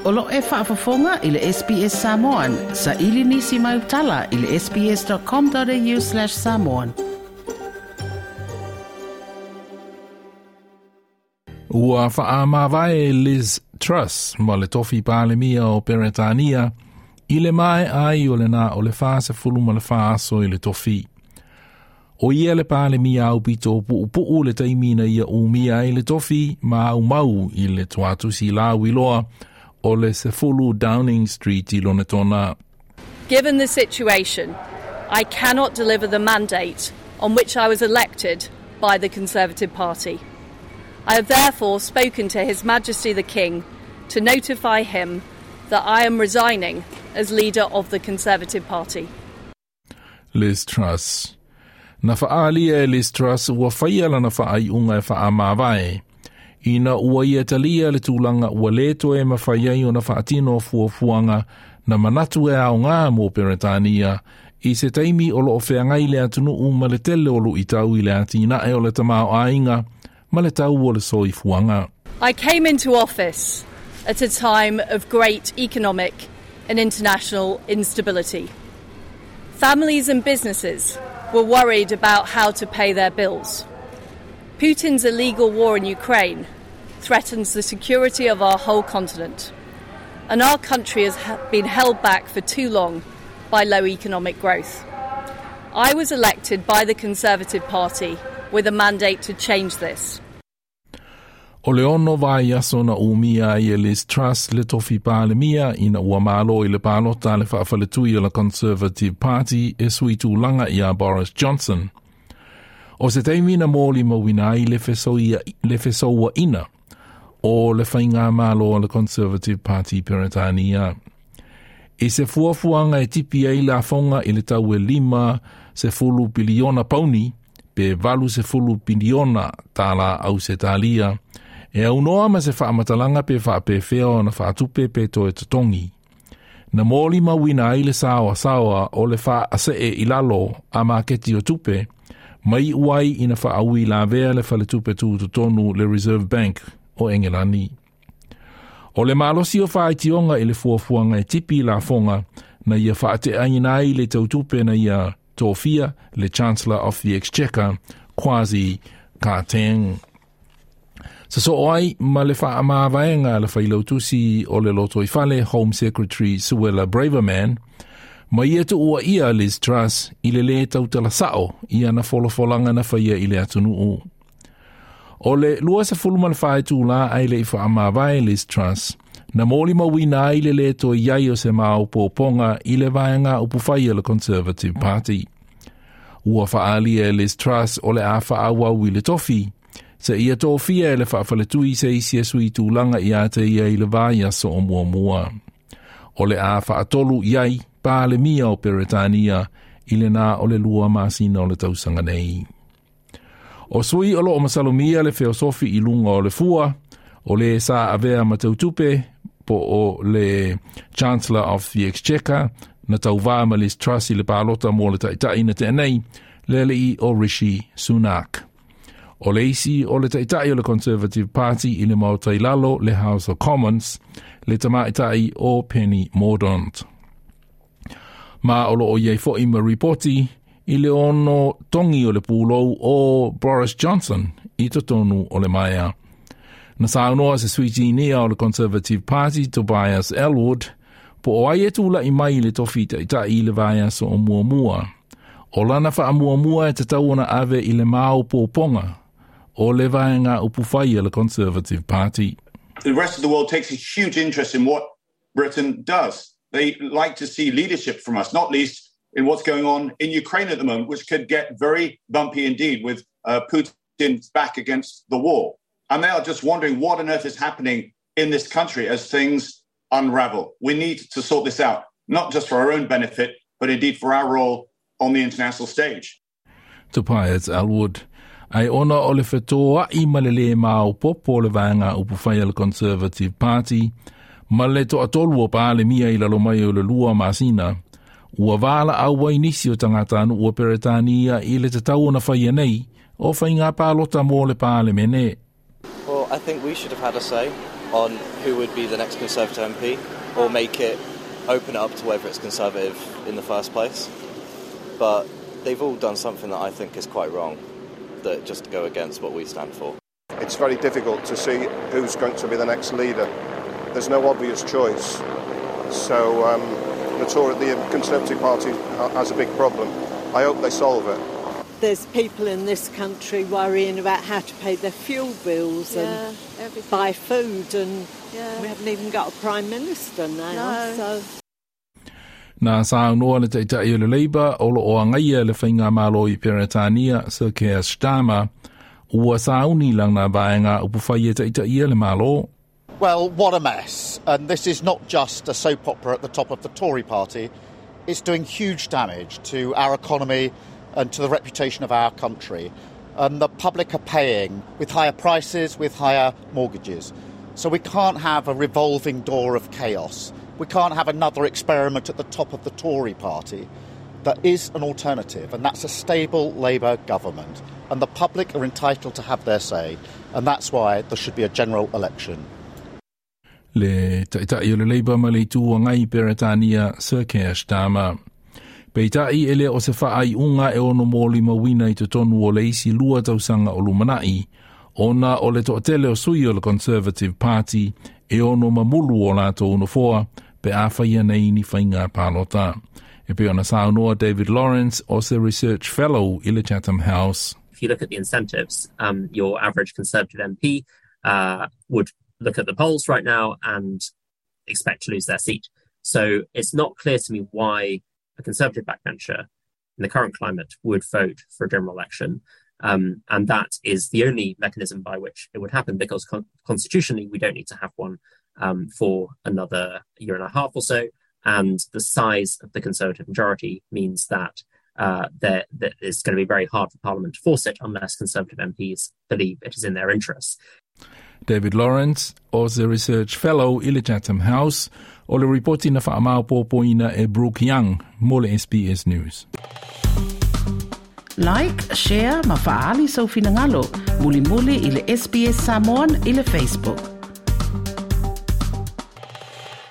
O lo o e faafofoga i le SBS Samoan. Saili nisi mau tala i le sbs.com.au/samoan. Ua faamavae Liz Truss ma le tofi Palemia o Peretania i le maea ai o le na o le 44 aso i le tofi. O ia le Palemia aupito puupuu le taimi na ia umia ai le tofi ma aumau i le tuatusi lauiloa o le 10 Downing Street i Lonetona. Given the situation, I cannot deliver the mandate on which I was elected by the Conservative Party. I have therefore spoken to His Majesty the King to notify him that I am resigning as leader of the Conservative Party. Liz Truss. Na faalia e Liz Truss ua faia lana faaiuga e faamavae. Ina ua ia talia le tulaga ua le toe mafai ai ona faatino fuafuaga na manatu e aoga mo Peretania i se taimi o loo feagai le atunuu ma le tele o luitau i le atinae o le tamaoaiga ma le tau o le soifuaga. I came into office at a time of great economic and international instability. Families and businesses were worried about how to pay their bills. Putin's illegal war in Ukraine threatens the security of our whole continent, and our country has been held back for too long by low economic growth. I was elected by the Conservative Party with a mandate to change this. O le 6 vaiaso na umia ai e Liz Truss le tofi Palemia ina ua malo i le palota le faafaletui o le Conservative Party e sui tulaga ia Boris Johnson. O se taimi na molimauina ai le fesouaina o le faiga malo o le Conservative Party Peretania. I se fuafuaga e tipi ai lafoga i le tau e 50 piliona pauni pe 80 piliona tala Ausetalia, e aunoa ma se faamatalaga pe faapefea ona faatupe pe toe totogi. Na molimauina ai le saoasaoa o le faasee i lalo a maketi o tupe, mai uai ina faaui lavea le faletupe tutotonu le Reserve Bank o Engelani. O le malosi o faaitioga i le fuafuaga e tipi lafoga na ia faateaina ai le tautupe na ia tofia le Chancellor of the Exchequer Kwasi Kwarteng. Sa soo ai ma le faamavaega le failautusi o le lotoifale Home Secretary Suella Braverman, ma ia tuua ia Liz Truss i le lē tautala sao i ana folafolaga na faia i le atunuu. O le 24 itulā ae le i faamavae Liz Truss, na molimauina ai le lē toe i ai o se maopoopoga i le vaega upufai o le Conservative Party. Ua faaalia e Liz Truss o le a faaauau i le tofi, se ia tofia e le faafaletui se isi e sui tulaga ia te ia i le vaiaso o muamua. O le a faatolu i ai Palemia o Peretania i le na o le 2 masina o le tausaga nei. O sui o loo masalomia le feosofi i luga o le fua, o le sa avea ma tautupe po o le Chancellor of the Exchequer na tauvā ma Liz Truss i le palota mo le taitai na tea nei, le alii o Rishi Sunak. O le isi o le taitai o le Conservative Party i le maota i lalo le House of Commons, le tamaitai o Penny Mordaunt. Ma o loo iai foi ma ripoti i le ono togi o le pulou o Boris Johnson i totonu o le maea. Na saunoa se sui tinia o le Conservative Party Tobias Ellwood, po o ai e tula'i mai i le tofi taitai i le vaiaso o muamua. O lana faamuamua e tatau ona ave i le maopoopoga o le vaega upufai a le Conservative Party. The rest of the world takes a huge interest in what Britain does. They like to see leadership from us, not least in what's going on in Ukraine at the moment, which could get very bumpy indeed with Putin's back against the wall. And they are just wondering what on earth is happening in this country as things unravel. We need to sort this out, not just for our own benefit, but indeed for our role on the international stage. Tobias Ellwood. Ai ona o le fetoai ma le lē maopoopo o le vaega upufai a le Conservative Party, ma le toatolu o Palemia i lalo mai o le 2 masina, ua valaau ai nisi o tagatanuu o Peretania i le tatau ona faia nei o faiga palota mo le Palemene. Well, Well, I think we should have had a say on who would be the next Conservative MP, or make it open it up to whether it's Conservative in the first place. But they've all done something that I think is quite wrong, that just go against what we stand for. It's very difficult to see who's going to be the next leader. There's no obvious choice. So the Conservative Party has a big problem. I hope they solve it. There's people in this country worrying about how to pay their fuel bills and everything. Buy food, and we haven't even got a Prime Minister now. No. So. Na saunoa le taitai o le Labour o lo o agaia le faigamalo i Peretania Sir Keir Starmer ua sauni lana vaega upufai e taitaia le Malo. Well, what a mess. And this is not just a soap opera at the top of the Tory party. It's doing huge damage to our economy and to the reputation of our country. And the public are paying with higher prices, with higher mortgages. So we can't have a revolving door of chaos. We can't have another experiment at the top of the Tory party. There is an alternative, and that's a stable Labour government. And the public are entitled to have their say, and that's why there should be a general election. Le taitai o le Labour ma le Itu Agai Peretania Sir Keir Starmer. Peitai e le o se faaiuga e ono molimauina i totonu o le isi 2 tausaga o lumanai, ona o le toatele o sui o le Conservative Party e ono mamulu o latou nofoa pe a faia nei ni faiga palota. E pei ona saunoa David Lawrence o se Research Fellow i le Chatham House. If you look at the incentives, your average Conservative MP would look at the polls right now and expect to lose their seat. So it's not clear to me why a Conservative backbencher in the current climate would vote for a general election. And that is the only mechanism by which it would happen, because constitutionally we don't need to have one for another year and a half or so. And the size of the Conservative majority means that that it's going to be very hard for Parliament to force it unless Conservative MPs believe it is in their interests. David Lawrence, o se Research Fellow i le Chatham House, o le ripoti na faamaopoopoina e Brooke Young, mo le SBS News. Like, share, ma faali sau finagalo. Mulimuli i le SBS Samoan i le Facebook.